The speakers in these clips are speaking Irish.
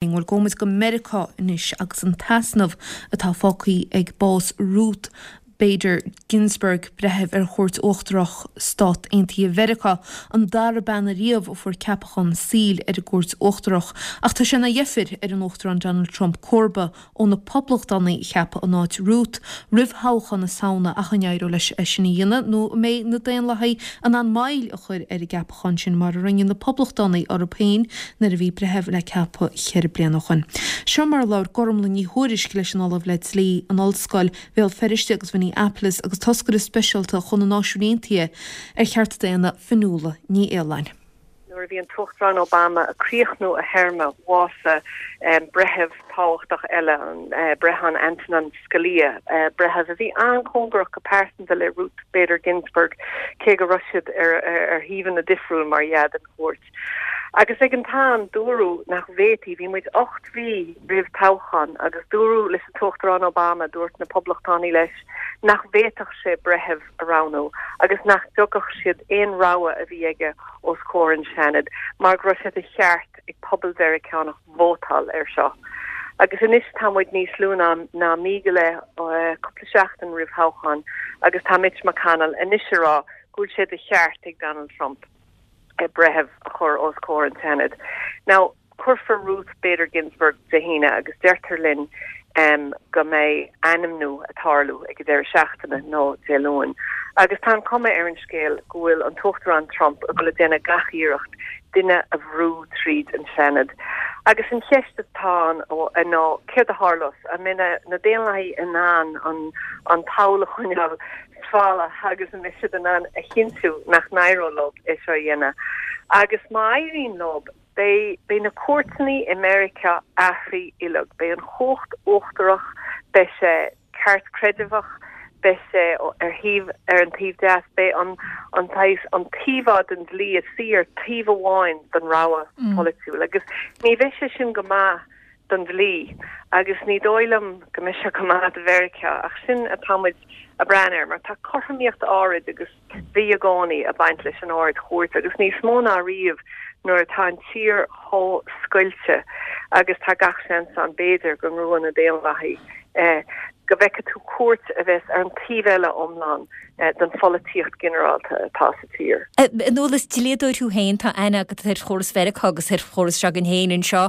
Bhuel, gabhfaidh muid go Meiriceá anois agus an t-easnamh atá fágtha ag bás Ruth Bader Ginsburg, breitheamh ar Chúirt Uachtarach Stát Aontaithe Mheiriceá, an dara bean ariamh a fuair ceapachán saoil ar an gCúirt Uachtarach. Ach tá sé ina dheifir ar an Uachtarán Donald Trump comharba ó na Poblachtánaigh a cheapadh in áit Ruth roimh thoghchán na Samhna ach an éireoidh leis é sin a dhéanamh nó an mbeidh na Daonlathaigh in ann moill a chur ar an gceapachán sin mar a rinne na Poblachtánaigh orthu féin nuair a bhí breitheamh le ceapadh cheithre bliana ó shin. Seo mar a labhair Gormlaith Ní Thuairisg leis an Ollamh le Dlí in Ollscoil Bhéal Feirste agus Minneapolis agus toscaire speisialta chun na Náisiúin Aontaithe ar Chearta Daonna Fionnuala Ní Aoláin. Nuair a bhí an tUachtarán Obama ag críochnú a théarma, bhásaigh breitheamh tábhachtach eile, an Breitheamh Antonin Scalia, breitheamh a bhí an-chóngarach go pearsanta le Ruth Bader Ginsburg, cé go raibh siad ar thaobhanna difriúil, mar dhea, den chúirt. Agus ag an t-am, dúradh nach bhféadfaí, bhí muid 8 mhí roimh toghchán, agus dúradh leis an tUachtarán Obama, dúirt na Poblachtánaigh leis, nach bhféadfadh sé breitheamh a roghnú agus nach dtugadh siad aon rogha a bhí aige os comhair an Seanad mar go raibh sé de cheart ag pobal Mheiriceánach vótáil air seo. Agus anois tá muid níos lú ná ná mí go leith, cúpla seachtain roimh thoghchán agus tá Mitch McConnell anois ag rá go bhfuil sé de cheart ag Donald Trump breitheamh a chur os comhair an tSeanaid. Now, cuirfear Ruth Bader Ginsburg Dé hAoine agus deirtear linn go mbeidh ainmniú ag tarlú ag an deireadh seachtaine nó Dé Luain. Agus tá an cuma ar an scéal go bhfuil an tUachtarán Trump ag dul ag déanamh gach iarracht duine a bhrú tríd an Seanad. Agus an cheist atá ann ná céard a tharlós? An mbeidh na Daonlathaigh in ann an poll a choinneáil sa bhalla agus an mbeidh siad in ann a chinntiú nach n-éireoidh leo é seo a dhéanamh? Agus má éiríonn leo, beidh, beidh na cúirteanna i Meiriceá athraithe uilig. Beidh an chumhacht uachtarach, beidh sé ceartchreidmheach, beidh sé ar thaobh, ar an taobh deas, beidh an, an saghas, an t-íomhá den dlí ag suí ar taobh amháin den rogha polaitiúil. Agus ní bheidh sé sin go maith don dlí agus ní dóigh liom go mbeidh sé go maith do Mheiriceá ach sin atá muid ag breathnú air mar tá cothromaíocht áirid agus bhí i gcónaí ag baint leis an Ard Chúirt agus níos mó ná riamh nuair atá an tír chomh scoilte agus tá gach seans ann b'fhéidir go ngnóthóidh na Daonlathaigh go bhfeicfidh tú cúirt a bheas ar an taobh eile iomlán den pholaitíocht ghinearálta atá sa tír. A Fhionnuala, is dlíodóir thú féin, tá aithne agat ar chóras Mheiriceá agus ar chóras seo againn féin anseo,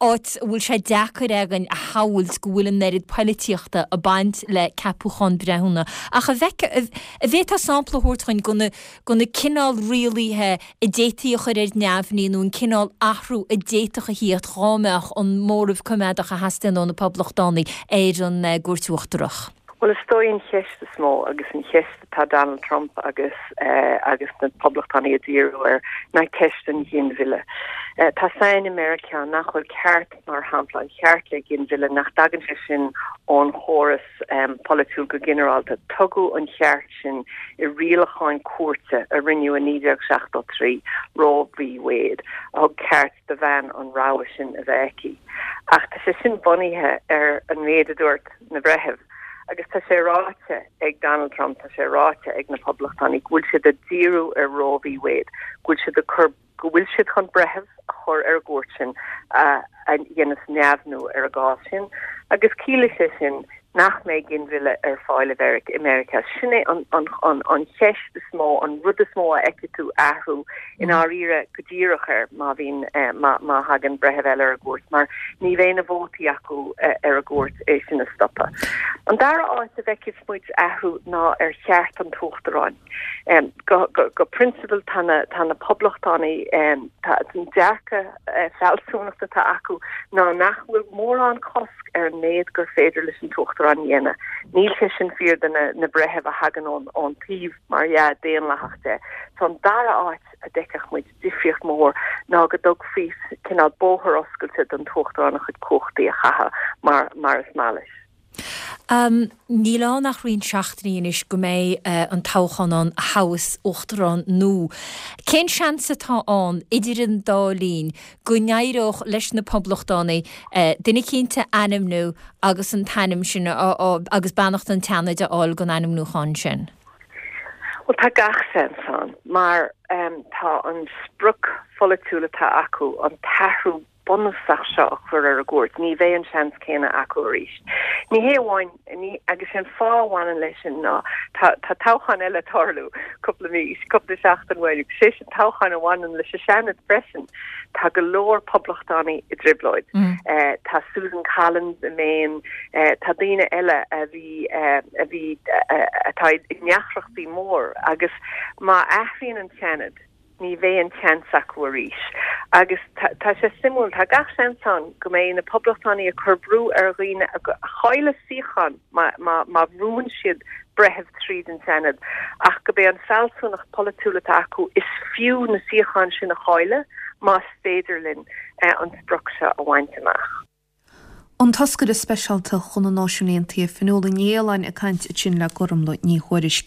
áit a bhfuil sé deacair againn a shamhailt go bhfuil an oiread poilitíochta ag baint le ceapúchán breithiúna. Ach an bhféadfá sampla a thabhairt dhuinn de na cineál rialuithe a d'fhéadfaí a chur ar neamhní nó an cineál athrú a d'fhéadfadh a thíocht dhá mbeadh an móramh coimeádach a theastaíonn ó na Poblachtánaigh ar an gCúirt Uachtarach? Bhuel, is dóigh an cheist is mó agus an cheist atá Donald Trump agus agus na Poblachtánaigh ag díriú air ná ceist an ghinmhilleadh. Tá a fhios againn i Meiriceá nach bhfuil ceart, mar shampla, an ceart le ginmhilleadh, nach dtagann sé sin ón chóras polaitiúil go ginearálta. Tugadh an cheart sin i rialacháin cúirte a rinneadh i 1973, Roe v. Wade, a thug ceart do bhean an rogha sin a bheith aici. Ach tá sé sin bunaithe ar an méid a dúirt na breithimh. Agus tá sé ráite ag Donald Trump, tá sé ráite ag na Poblachtánaigh go bhfuil siad ag díriú ar Roe v. Wade, go bhfuil siad ag cur, go bhfuil siad chun breitheamh a chur ar an gcúirt sin a dhéanfas neamhniú ar an gcás sin. Agus ciallóidh sé sin nach mbeidh ginmhilleadh ar fáil i Meiriceá. Sin é an cheist is mó, an rud is mó a fheicfidh tú athrú i ndáiríre go díreach air má bhíonn, má thagann breitheamh eile ar an gcúirt, mar ní bheidh na vótaí acu ar an gcúirt é sin a stopadh. An dara áit a bhfeicfidh muid athrú ná ar cheart an tUachtaráin. Go prionsabal tá na Poblachtánaigh, tá an dearcadh fealsúnachta atá acu ná nach bhfuil mórán cosc ar an méid gur féidir leis an tUachtarán a dhéanamh. Níl sé sin fíor do na breithimh a thagann ón taobh, mar dhea, daonlathach de. So an dara áit a d'fheicfeadh muid difríocht mhór ná go dtugfaí cineál bóthar oscailte don tUachtarán a chuid cumhachtaí a chaitheamh mar is maith leis. Níl ann ach roinnt seachtainí anois go mbeidh an toghchán ann a thoghfas Uachtarán nua. Cén seans atá ann, idir an dá linn, go n-éireodh leis na Poblachtánaigh duine eicínt a ainmniú agus an t-ainm sin agus beannacht an tSeanaid a fháil don ainmniúchán sin? Bhuel, tá gach seans ann, mar tá an sprioc pholaitiúil atá acu, an t-athrú. bunúsach seo a chur ar an gcúirt, ní bheidh an seans céanna acu arís. Ní hé amháin, ní, agus sé an fáth a bhaineann leis sin ná tá, tá toghchán eile ag tarlú cúpla mí, cúpla seachtain uainn, agus sé sin toghchán a bhaineann leis an Seanad freisin. Tá go leor poblachtánaigh i dtrioblóid. Tá Susan Collins i Maine, tá daoine eile a bhí, a bhí, atá i ndeacrachtaí mór agus má athraíonn an Seanad, ní bheidh an tseans acu arís. Agus tá sé suimiúil, tá gach seans ann go mbeidh na Poblachtánaigh ag cur brú ar dhaoine a chaillfidh suíochán má bhrúnn siad breitheamh tríd an Seanad, ach go b'é an fealsúnacht polaitiúil atá acu, is fiú na suíocháin sin a chailleadh más féidir linn an sprioc seo a bhaint amach. An toscaire speisialta chun na Náisiún Aontaithe, Fionnuala Ní Aoláin ag caint ansin le Gormlaith Ní Thuairisg.